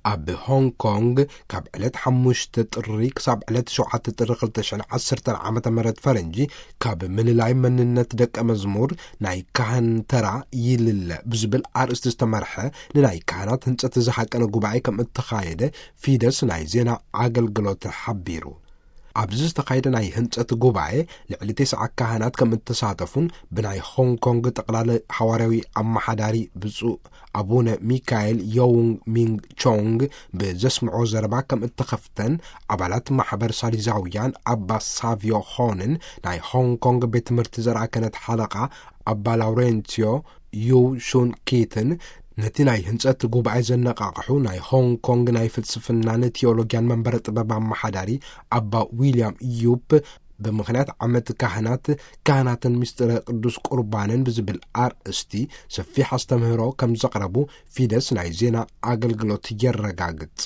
ኣብ ሆንግ ኮንግ ካብ ዕለት ሓሙሽተ ጥሪ ክሳብ ዕለት ሸውዓተ ጥሪ ክልተ ሽሕን ዓሰርተን ዓመተ ምህረት ፈረንጂ፣ ካብ ምልላይ መንነት ደቀ መዝሙር ናይ ካህን ተራ ይልለ ብዝብል ኣርእስቲ ዝተመርሐ ንናይ ካህናት ህንጸት ዝሃቀነ ጉባኤ ከም እተኻየደ ፊደስ ናይ ዜና ኣገልግሎት ሓቢሩ። ኣብዚ ዝተኻየደ ናይ ህንጸት ጉባኤ ልዕሊ ተስዓ ካህናት ከም እተሳተፉን ብናይ ሆንግ ኮንግ ጠቕላሊ ሓዋርያዊ ኣመሓዳሪ ብፁዕ ኣቡነ ሚካኤል ዮውንግ ሚንግ ቾንግ ብዘስምዖ ዘረባ ከም እተኸፍተን፣ ኣባላት ማሕበር ሳሊዛውያን ኣባ ሳቪዮ ሆንን ናይ ሆንግ ኮንግ ቤት ትምህርቲ ዘርኣ ክህነት ሓለቓ ኣባ ላውሬንሲዮ ዩ ሹን ኪትን፣ ነቲ ናይ ህንጸት ጉባኤ ዘነቓቕሑ ናይ ሆንግ ኮንግ ናይ ፍልስፍናን ቴዎሎጊያን መንበረ ጥበብ ኣመሓዳሪ ኣባ ዊልያም ዩፕ፣ ብምኽንያት ዓመት ካህናት፣ ካህናትን ምስጢረ ቅዱስ ቁርባንን ብዝብል ኣርእስቲ ሰፊሕ ኣስተምህሮ ከም ዘቕረቡ ፊደስ ናይ ዜና ኣገልግሎት የረጋግጽ።